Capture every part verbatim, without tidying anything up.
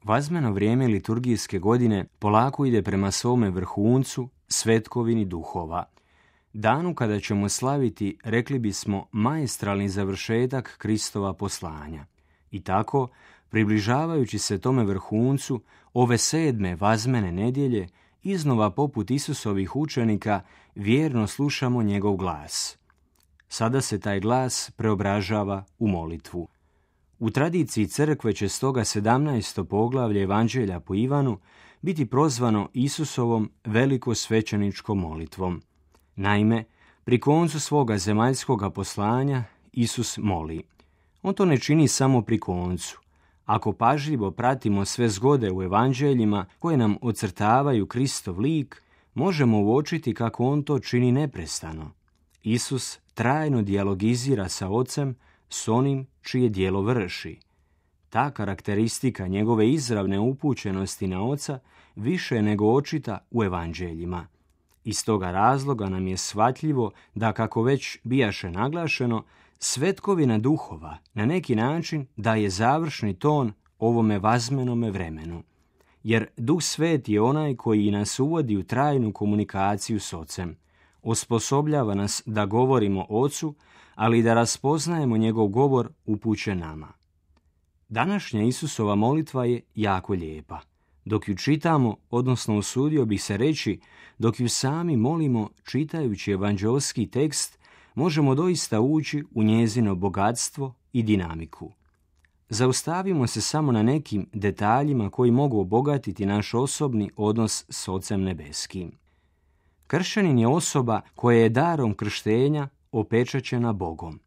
Vazmeno vrijeme liturgijske godine polako ide prema svome vrhuncu, svetkovini duhova. Danu kada ćemo slaviti, rekli bismo, maestralni završetak Kristova poslanja. I tako, približavajući se tome vrhuncu, ove sedme vazmene nedjelje, iznova poput Isusovih učenika, vjerno slušamo njegov glas. Sada se taj glas preobražava u molitvu. U tradiciji crkve će stoga sedamnaesto poglavlje Evanđelja po Ivanu biti prozvano Isusovom velikosvećeničkom molitvom. Naime, pri koncu svoga zemaljskoga poslanja Isus moli. On to ne čini samo pri koncu. Ako pažljivo pratimo sve zgode u evanđeljima koje nam ocrtavaju Kristov lik, možemo uočiti kako on to čini neprestano. Isus trajno dijalogizira sa Ocem, s onim čije djelo vrši. Ta karakteristika njegove izravne upućenosti na Oca više je nego očita u evanđeljima. Iz toga razloga nam je shvatljivo da, kako već bijaše naglašeno, svetkovina duhova na neki način daje završni ton ovome vazmenome vremenu. Jer Duh Svet je onaj koji nas uvodi u trajnu komunikaciju s Ocem. Osposobljava nas da govorimo Ocu, ali i da raspoznajemo njegov govor upućen nama. Današnja Isusova molitva je jako lijepa. Dok ju čitamo, odnosno usudio bih se reći, dok ju sami molimo čitajući evanđeoski tekst, možemo doista ući u njezino bogatstvo i dinamiku. Zaustavimo se samo na nekim detaljima koji mogu obogatiti naš osobni odnos s Ocem nebeskim. Kršćanin je osoba koja je darom krštenja opečaćena Bogom.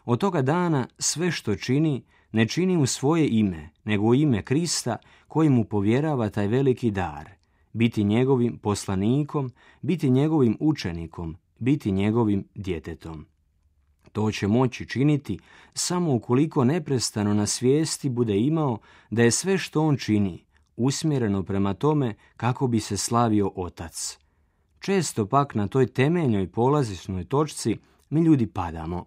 Od toga dana sve što čini, ne čini u svoje ime, nego u ime Krista koji mu povjerava taj veliki dar, biti njegovim poslanikom, biti njegovim učenikom, biti njegovim djetetom. To će moći činiti samo ukoliko neprestano na svijesti bude imao da je sve što on čini usmjereno prema tome kako bi se slavio Otac. Često pak na toj temeljnoj polazišnoj točci mi ljudi padamo.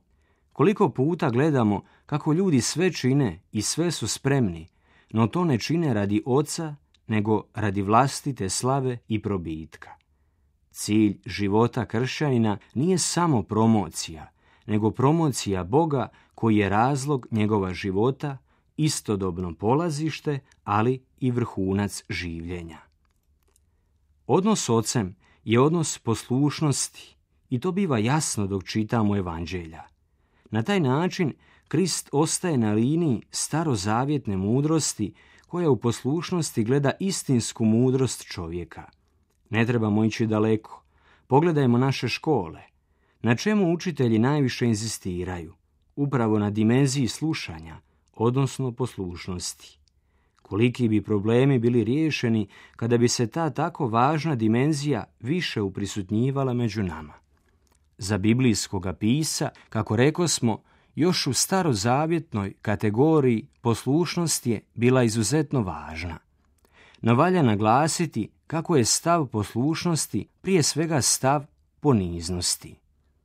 Koliko puta gledamo kako ljudi sve čine i sve su spremni, no to ne čine radi Oca, nego radi vlastite slave i probitka. Cilj života kršćanina nije samo promocija, nego promocija Boga koji je razlog njegova života, istodobno polazište, ali i vrhunac življenja. Odnos s Ocem je odnos poslušnosti i to biva jasno dok čitamo evanđelja. Na taj način Krist ostaje na liniji starozavjetne mudrosti koja u poslušnosti gleda istinsku mudrost čovjeka. Ne trebamo ići daleko. Pogledajmo naše škole. Na čemu učitelji najviše inzistiraju? Upravo na dimenziji slušanja, odnosno poslušnosti. Koliki bi problemi bili riješeni kada bi se ta tako važna dimenzija više uprisutnjivala među nama. Za biblijskoga pisa, kako rekosmo, još u starozavjetnoj kategoriji poslušnost je bila izuzetno važna. No valja naglasiti kako je stav poslušnosti prije svega stav poniznosti.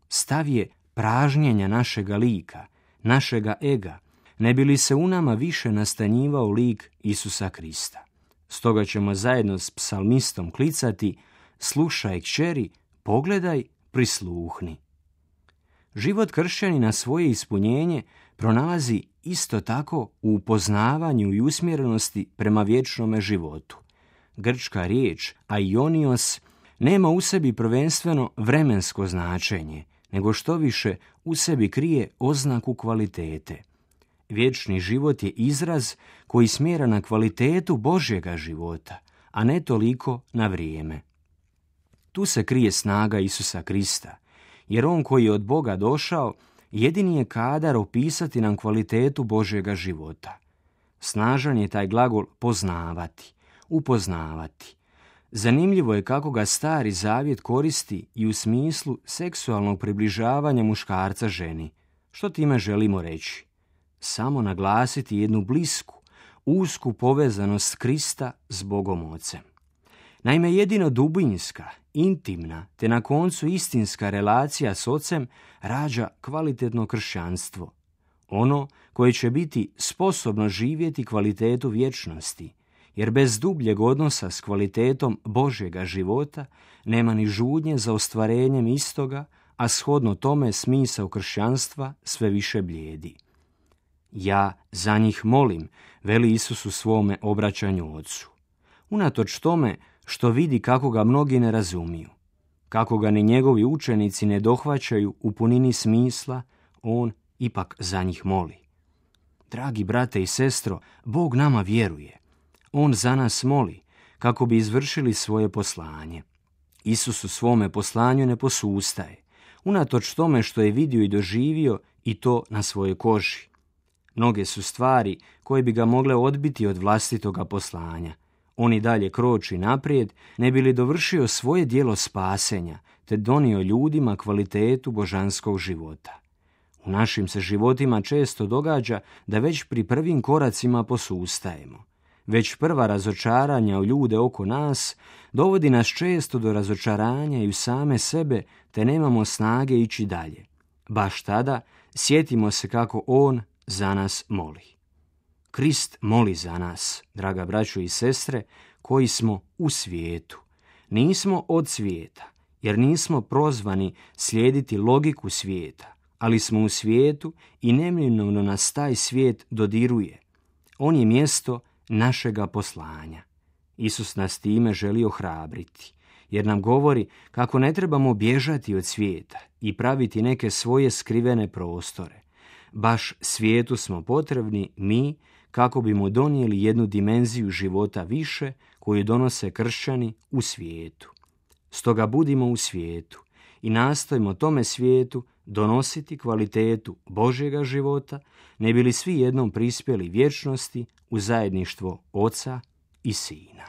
Stav je pražnjenja našega lika, našega ega, ne bi li se u nama više nastanjivao lik Isusa Krista. Stoga ćemo zajedno s psalmistom klicati: slušaj kćeri, pogledaj, prisluhni. Život kršćanina svoje ispunjenje pronalazi isto tako u upoznavanju i usmjerenosti prema vječnome životu. Grčka riječ aionios nema u sebi prvenstveno vremensko značenje, nego što više u sebi krije oznaku kvalitete. Vječni život je izraz koji smjera na kvalitetu Božjega života, a ne toliko na vrijeme. Tu se krije snaga Isusa Krista, jer on koji je od Boga došao, jedini je kadar opisati nam kvalitetu Božjega života. Snažan je taj glagol poznavati, upoznavati. Zanimljivo je kako ga Stari Zavjet koristi i u smislu seksualnog približavanja muškarca ženi. Što time želimo reći? Samo naglasiti jednu blisku, usku povezanost Krista s Bogom Ocem. Naime, jedino dubinska, intimna, te na koncu istinska relacija s Ocem rađa kvalitetno kršćanstvo. Ono koje će biti sposobno živjeti kvalitetu vječnosti jer bez dubljeg odnosa s kvalitetom Božjega života nema ni žudnje za ostvarenjem istoga, a shodno tome smisao kršćanstva sve više blijedi. Ja za njih molim, veli Isus u svome obraćanju Ocu. Unatoč tome što vidi kako ga mnogi ne razumiju, kako ga ni njegovi učenici ne dohvaćaju u punini smisla, on ipak za njih moli. Dragi brate i sestro, Bog nama vjeruje. On za nas moli kako bi izvršili svoje poslanje. Isus u svome poslanju ne posustaje, unatoč tome što je vidio i doživio i to na svojoj koži. Mnoge su stvari koje bi ga mogle odbiti od vlastitoga poslanja. On i dalje kroči naprijed, ne bi li dovršio svoje djelo spasenja, te donio ljudima kvalitetu božanskog života. U našim se životima često događa da već pri prvim koracima posustajemo. Već prva razočaranja u ljude oko nas dovodi nas često do razočaranja i u same sebe, te nemamo snage ići dalje. Baš tada sjetimo se kako on za nas moli. Krist moli za nas, draga braćo i sestre, koji smo u svijetu. Nismo od svijeta, jer nismo prozvani slijediti logiku svijeta, ali smo u svijetu i neminovno nas taj svijet dodiruje. On je mjesto našega poslanja. Isus nas time želi ohrabriti, jer nam govori kako ne trebamo bježati od svijeta i praviti neke svoje skrivene prostore. Baš svijetu smo potrebni mi kako bimo donijeli jednu dimenziju života više koju donose kršćani u svijetu. Stoga budimo u svijetu i nastojimo tome svijetu donositi kvalitetu Božjega života, ne bi li svi jednom prispjeli vječnosti u zajedništvo Oca i Sina.